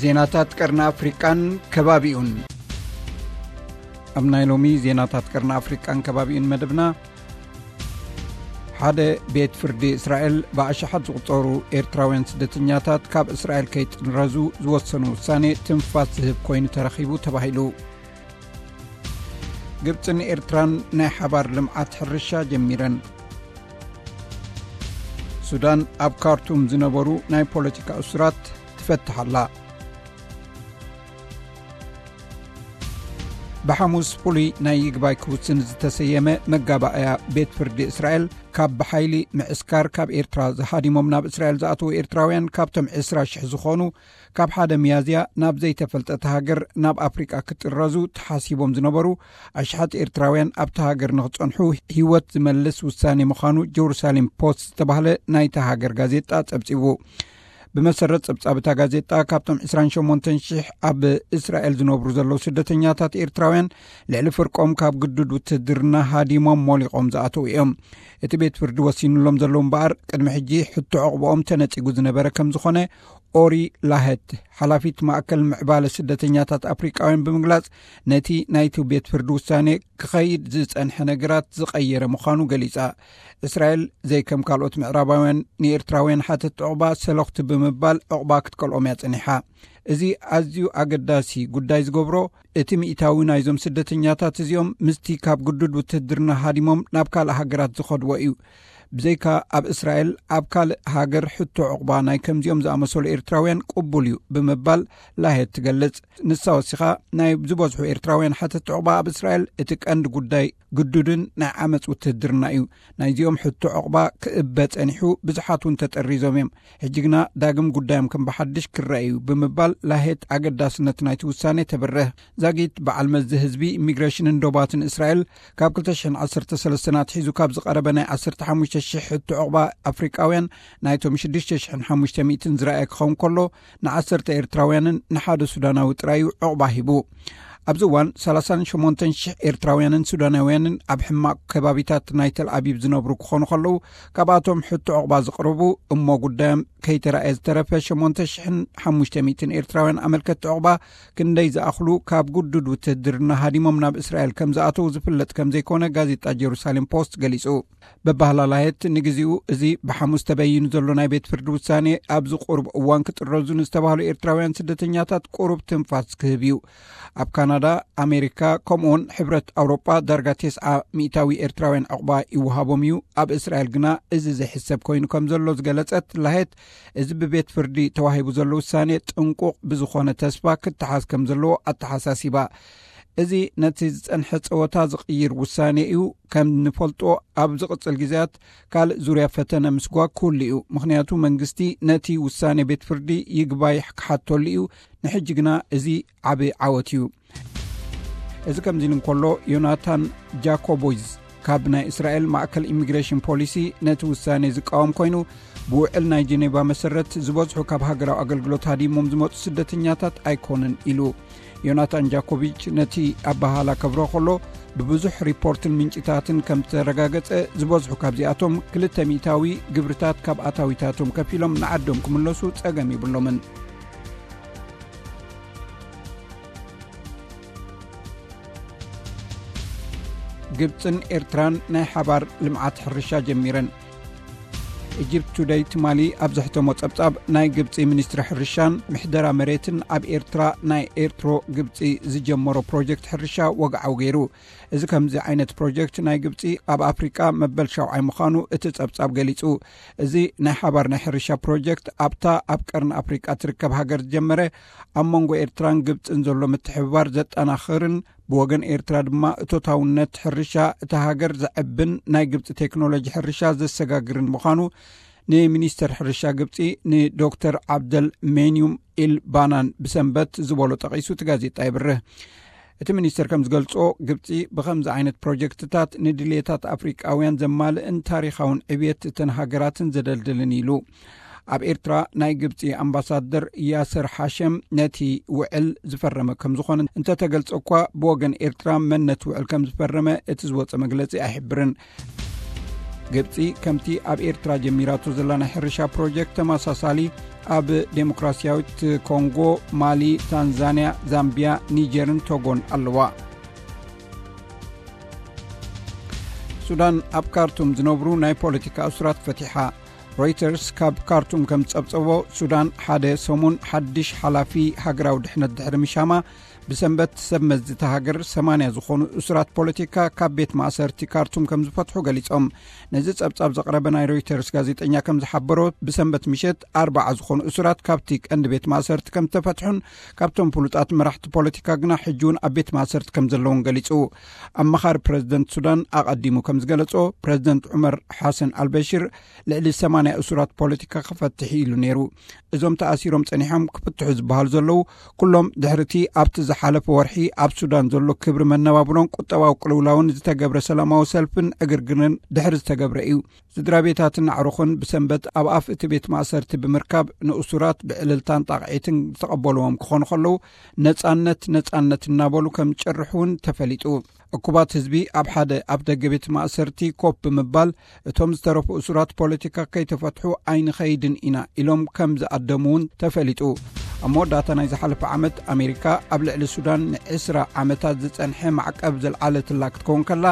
ዜናታት ቀርኒ ኣፍሪቃን ከባቢኡን። ኣብ ናይ ሎሚ ዜናታት ቀርኒ ኣፍሪቃን ከባቢኡን መደብና፣ ሓደ ቤት ፍርዲ እስራኤል ብኣሽሓት ዝቑጸሩ ኤርትራውያን ስደተኛታት ካብ እስራኤል ከይጥረዙ ዝወሰኑ ውሳኔ ትንፋስ ዝህብ ኮይኑ ተረኺቡ ተባሂሉ። ግብጽን ኤርትራን ናይ ሓባር ልምዓት ሕርሻ ጀሚረን። ሱዳን ኣብ ካርቱም ዝነበሩ ናይ ፖለቲካ እሱራት ትፈትሕ ኣላ። ብሓሙስ ፍሉይ ናይ ይግባይ ክውስን ዝተሰየመ መጋባእያ ቤት ፍርዲ እስራኤል ካብ ብሓይሊ ምዕስካር ካብ ኤርትራ ዝሃዲሞም ናብ እስራኤል ዝኣተዉ ኤርትራውያን ካብቶም ዕስራ ሽሕ ዝኾኑ ካብ ሓደ ሚያዝያ ናብ ዘይተፈልጠት ሃገር ናብ ኣፍሪቃ ክጥረዙ ተሓሲቦም ዝነበሩ ኣሽሓት ኤርትራውያን ኣብታ ሃገር ንኽጸንሑ ህይወት ዝመልስ ውሳኔ ምዃኑ ጀሩሳሌም ፖስት ዝተባህለ ናይታ ሃገር ጋዜጣ ጸብጺቡ። ብመሰረት ጸብጻብ እታ ጋዜጣ፣ ካብቶም ዕስራን ሸሞንተን ሽሕ ኣብ እስራኤል ዝነብሩ ዘለዉ ስደተኛታት ኤርትራውያን፣ ልዕሊ ፍርቆም ካብ ግዱድ ውትህድርና ሃዲሞም ሞሊቖም ዝኣተዉ እዮም። እቲ ቤት ፍርዲ ወሲኑሎም ዘሎ እምበኣር፣ ቅድሚ ሕጂ ሕቶ ዕቑባኦም ተነጺጉ ዝነበረ ከም ዝኾነ ኦሪ ላህት፣ ሓላፊት ማእከል ምዕባለ ስደተኛታት ኣፍሪቃውያን ብምግላጽ፣ ነቲ ናይቲ ቤት ፍርዲ ውሳኔ ክኸይድ ዝጸንሐ ነገራት ዝቐየረ ምዃኑ ገሊጻ። እስራኤል ዘይከም ካልኦት ምዕራባውያን ንኤርትራውያን ሓተት ዕቑባ ሰለኽቲ ብምባል ዕቑባ ክትከልኦም እያ ጸኒሓ። እዚ ኣዝዩ ኣገዳሲ ጉዳይ ዝገብሮ፣ እቲ ሚእታዊ ናይዞም ስደተኛታት እዚኦም ምስቲ ካብ ግዱድ ውትህድርና ሃዲሞም ናብ ካልእ ሃገራት ዝኸድዎ እዩ። ብዘይካ ኣብ እስራኤል፣ ኣብ ካልእ ሃገር ሕቶ ዕቑባ ናይ ከምዚኦም ዝኣመሰሉ ኤርትራውያን ቅቡል እዩ ብምባል ላሄት ትገልጽ። ንሳ ወሲኻ፣ ናይ ዝበዝሑ ኤርትራውያን ሓተት ዕቑባ ኣብ እስራኤል እቲ ቀንዲ ጉዳይ ግዱድን ናይ ዓመጽ ውትህድርና እዩ። ናይዚኦም ሕቶ ዕቑባ ክእበ ጸኒሑ፣ ብዙሓት እውን ተጠሪዞም እዮም። ሕጂ ግና ዳግም ጉዳዮም ከም ብሓድሽ ክረአ እዩ ብምባል ላሄት ኣገዳስነት ናይቲ ውሳኔ ተብርህ። ዛጊት በዓል መዚ ህዝቢ፣ ኢሚግሬሽንን ዶባትን እስራኤል ካብ ክልተ ሽሕን ዓሰርተ ሰለስተን ኣትሒዙ ካብ ዝቐረበ ናይ ዓሰርተ ሓሙሽተ ሽሕ ሕቶ ዕቑባ ኣፍሪቃውያን ናይቶም ሽዱሽተ ሽሕን ሓሙሽተ ሚእትን ዝረኣየ ክኸውን ከሎ፣ ንዓሰርተ ኤርትራውያንን ንሓደ ሱዳናዊ ጥራይ እዩ ዕቑባ ሂቡ። ኣብዚ እዋን ሰላሳን ሸሞንተን ሽሕ ኤርትራውያንን ሱዳናውያንን ኣብ ሕማቕ ከባቢታት ናይ ተል ኣቢብ ዝነብሩ ክኾኑ ከለዉ፣ ካብኣቶም ሕቶ ዕቑባ ዝቕርቡ እሞ ጉዳዮም ከይተራእየ ዝተረፈ ሸሞንተ ሽሕን ሓሙሽተ ሚእትን ኤርትራውያን ኣመልከቲ ዕቑባ ክንደይ ዝኣኽሉ ካብ ግዱድ ውትህድርና ሃዲሞም ናብ እስራኤል ከም ዝኣተዉ ዝፍለጥ ከም ዘይኮነ ጋዜጣ ጀሩሳሌም ፖስት ገሊጹ። በባህላላየት ንግዜኡ እዚ ብሓሙስ ተበይኑ ዘሎ ናይ ቤት ፍርዲ ውሳኔ ኣብዚ ቁሩብ እዋን ክጥረዙ ንዝተባህሉ ኤርትራውያን ስደተኛታት ቁሩብ ትንፋስ ክህብ እዩ። ኣብ ካናዳ፣ ኣሜሪካ፣ ከምኡውን ሕብረት ኣውሮጳ ዳርጋ ተስዓ ሚእታዊ ኤርትራውያን ዕቑባ ይወሃቦም እዩ። ኣብ እስራኤል ግና እዚ ዘይሕሰብ ኮይኑ ከም ዘሎ ዝገለጸት ላሄት፣ እዚ ብቤት ፍርዲ ተዋሂቡ ዘሎ ውሳኔ ጥንቁቕ ብዝኾነ ተስፋ ክተሓዝ ከም ዘለዎ ኣተሓሳሲባ። እዚ ነቲ ዝጸንሐ ጸወታ ዝቕይር ውሳኔ እዩ። ከም ንፈልጦ፣ ኣብ ዝቕጽል ግዜያት ካልእ ዙርያ ፈተነ ምስጓግ ክህሉ እዩ። ምኽንያቱ መንግስቲ ነቲ ውሳኔ ቤት ፍርዲ ይግባይ ክሓተሉ እዩ። ንሕጂ ግና እዚ ዓቢ ዓወት እዩ። እዚ ከምዚ ኢሉ እንከሎ፣ ዮናታን ጃኮቦይዝ ካብ ናይ እስራኤል ማእከል ኢሚግሬሽን ፖሊሲ ነቲ ውሳኔ ዝቃወም ኮይኑ፣ ብውዕል ናይ ጀኔቫ መሰረት ዝበዝሑ ካብ ሃገራዊ ኣገልግሎት ሃዲሞም ዝመጹ ስደተኛታት ኣይኮኑን ኢሉ። ዮናታን ጃኮቪች ነቲ ኣበሃህላ ከብርሆ ከሎ፣ ብብዙሕ ሪፖርትን ምንጭታትን ከም ዝተረጋገጸ፣ ዝበዝሑ ካብዚኣቶም ክልተ ሚእታዊ ግብርታት ካብ ኣታዊታቶም ከፊሎም ንዓዶም ክምለሱ ጸገም የብሎምን። ግብጽን ኤርትራን ናይ ሓባር ልምዓት ሕርሻ ጀሚረን። ኢጅፕት ቱደይ ትማሊ ኣብ ዘሕተሞ ጸብጻብ፣ ናይ ግብጺ ሚኒስትሪ ሕርሻን ምሕደራ መሬትን ኣብ ኤርትራ ናይ ኤርትሮ ግብጺ ዝጀመሮ ፕሮጀክት ሕርሻ ወግዓዊ ገይሩ። እዚ ከምዚ ዓይነት ፕሮጀክት ናይ ግብጺ ኣብ ኣፍሪቃ መበል ሻውዓይ ምዃኑ እቲ ጸብጻብ ገሊጹ። እዚ ናይ ሓባር ናይ ሕርሻ ፕሮጀክት ኣብታ ኣብ ቀርኒ ኣፍሪቃ ትርከብ ሃገር ዝጀመረ፣ ኣብ መንጎ ኤርትራን ግብጽን ዘሎ ምትሕብባር ዘጠናኽርን ብወገን ኤርትራ ድማ እቶታውነት ሕርሻ እታ ሃገር ዘዕብን ናይ ግብጺ ቴክኖሎጂ ሕርሻ ዘሰጋግርን ምዃኑ ንሚኒስተር ሕርሻ ግብጺ ንዶክተር ዓብደል ሜንዩም ኢል ባናን ብሰንበት ዝበሎ ጠቒሱ እቲ ጋዜጣ የብርህ። እቲ ሚኒስተር ከም ዝገልጾ፣ ግብጺ ብኸምዚ ዓይነት ፕሮጀክትታት ንድልየታት ኣፍሪቃውያን ዘማልእን ታሪኻውን ዕብየት እተን ሃገራትን ዘደልድልን ኢሉ። ኣብ ኤርትራ ናይ ግብጺ ኣምባሳደር ያሰር ሓሸም ነቲ ውዕል ዝፈረመ ከም ዝኾነ እንተተገልጸ እኳ፣ ብወገን ኤርትራ መን ነቲ ውዕል ከም ዝፈረመ እቲ ዝወጸ መግለጺ ኣይሕብርን። ግብጺ ከምቲ ኣብ ኤርትራ ጀሚራቶ ዘላ ናይ ሕርሻ ፕሮጀክት ተመሳሳሊ ኣብ ዴሞክራሲያዊት ኮንጎ፣ ማሊ፣ ታንዛንያ፣ ዛምቢያ፣ ኒጀርን ቶጎን ኣለዋ። ሱዳን ኣብ ካርቱም ዝነብሩ ናይ ፖለቲካ እሱራት ፈቲሓ። ሮይተርስ ካብ ካርቱም ከም ዝጸብጸቦ፣ ሱዳን ሓደ ሰሙን ሓድሽ ሓላፊ ሃገራዊ ድሕነት ድሕሪ ምሻማ፣ ብሰንበት ሰብ መዚ እታ ሃገር ሰማንያ ዝኾኑ እሱራት ፖለቲካ ካብ ቤት ማእሰርቲ ካርቱም ከም ዝፈትሑ ገሊጾም። ነዚ ጸብጻብ ዘቕረበ ናይ ሮይተርስ ጋዜጠኛ ከም ዝሓበሮ፣ ብሰንበት ምሸት ኣርባዓ ዝኾኑ እሱራት ካብቲ ቀንዲ ቤት ማእሰርቲ ከም ዝተፈትሑን፣ ካብቶም ፍሉጣት መራሕቲ ፖለቲካ ግና ሕጂ እውን ኣብ ቤት ማእሰርቲ ከም ዘለውን ገሊጹ። ኣማኻሪ ፕረዚደንት ሱዳን ኣቐዲሙ ከም ዝገለጾ፣ ፕረዚደንት ዑመር ሓሰን ኣልበሽር ልዕሊ ሰማንያ እሱራት ፖለቲካ ክፈትሕ ኢሉ ነይሩ። እዞም ተኣሲሮም ጸኒሖም ክፍትሑ ዝበሃሉ ዘለዉ፣ ኩሎም ድሕርቲ ኣብቲ ዝሓለፈ ወርሒ ኣብ ሱዳን ዘሎ ክብሪ መነባብሮን ቁጠባዊ ቅልውላውን ዝተገብረ ሰላማዊ ሰልፍን ዕግርግርን ድሕሪ ዝተገብረ እዩ። ስድራ ቤታትን ኣዕሩኽን ብሰንበት ኣብ ኣፍ እቲ ቤት ማእሰርቲ ብምርካብ፣ ንእሱራት ብዕልልታን ጣቕዒትን ዝተቐበልዎም ክኾኑ ከለዉ፣ "ነጻነት፣ ነጻነት" እናበሉ ከም ዝጭርሑ እውን ተፈሊጡ። እኩባት ህዝቢ ኣብ ሓደ ኣፍ ደገ ቤት ማእሰርቲ ኮፍ ብምባል፣ "እቶም ዝተረፉ እሱራት ፖለቲካ ከይተፈትሑ ኣይንኸይድን ኢና" ኢሎም ከም ዝኣደሙ እውን ተፈሊጡ። ኣብ መወዳእታ ናይ ዝሓለፈ ዓመት፣ ኣሜሪካ ኣብ ልዕሊ ሱዳን ንዕስራ ዓመታት ዝጸንሐ ማዕቀብ ዘልዓለትላ ክትከውን ከላ፣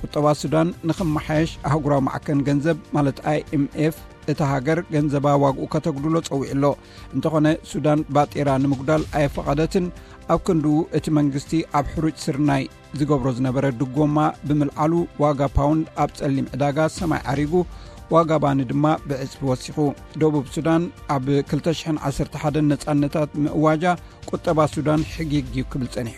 ቁጠባ ሱዳን ንኽመሓየሽ ኣህጉራዊ ማዕከን ገንዘብ፣ ማለት ኣይ ኤም ኤፍ፣ እታ ሃገር ገንዘባ ዋግኡ ከተጉድሎ ጸዊዑ ኣሎ። እንተኾነ፣ ሱዳን ባጤራ ንምጉዳል ኣየፈቐደትን። ኣብ ክንድኡ፣ እቲ መንግስቲ ኣብ ሕሩጭ ስርናይ ዝገብሮ ዝነበረ ድጎማ ብምልዓሉ፣ ዋጋ ፓውንድ ኣብ ጸሊም ዕዳጋ ሰማይ ዓሪጉ፣ ዋጋ ባኒ ድማ ብዕጽፊ ወሲኹ። ደቡብ ሱዳን ኣብ ክልተ ሽሕን ዓሰርተ ሓደን ነጻነታት ምእዋጃ፣ ቁጠባ ሱዳን ሕጊግ እዩ ክብል ጸኒሑ።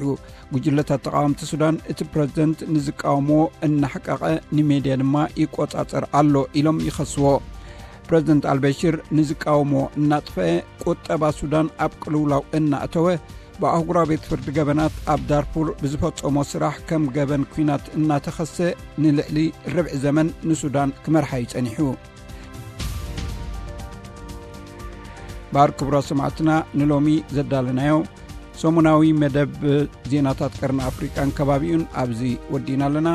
ጉጅለታት ተቃወምቲ ሱዳን፣ እቲ ፕረዚደንት ንዝቃወምዎ እናሕቀቐ፣ ንሜድያ ድማ ይቆጻጸር ኣሎ ኢሎም ይኸስዎ። ፕረዚደንት ኣልበሽር ንዝቃወምዎ እናጥፈአ፣ ቁጠባ ሱዳን ኣብ ቅልውላው እናእተወ፣ ብኣህጉራዊ ቤት ፍርዲ ገበናት ኣብ ዳርፉር ብዝፈጸሞ ስራሕ ከም ገበን ኲናት እናተኸሰ፣ ንልዕሊ ርብዒ ዘመን ንሱዳን ክመርሓ እዩ ጸኒሑ። ባር ክቡራት ሰማዕትና፣ ንሎሚ ዘዳለናዮ ሰሙናዊ መደብ ዜናታት ቀርኒ ኣፍሪቃን ከባቢኡን ኣብዚ ወዲእና ኣለና።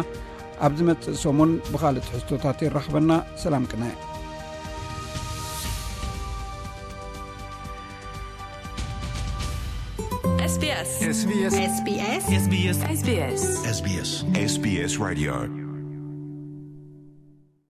ኣብ ዝመጽእ ሰሙን ብኻልእ ትሕዝቶታት የራኽበና። ሰላም ቅነ። SBS SBS SBS SBS SBS SBS SBS Radio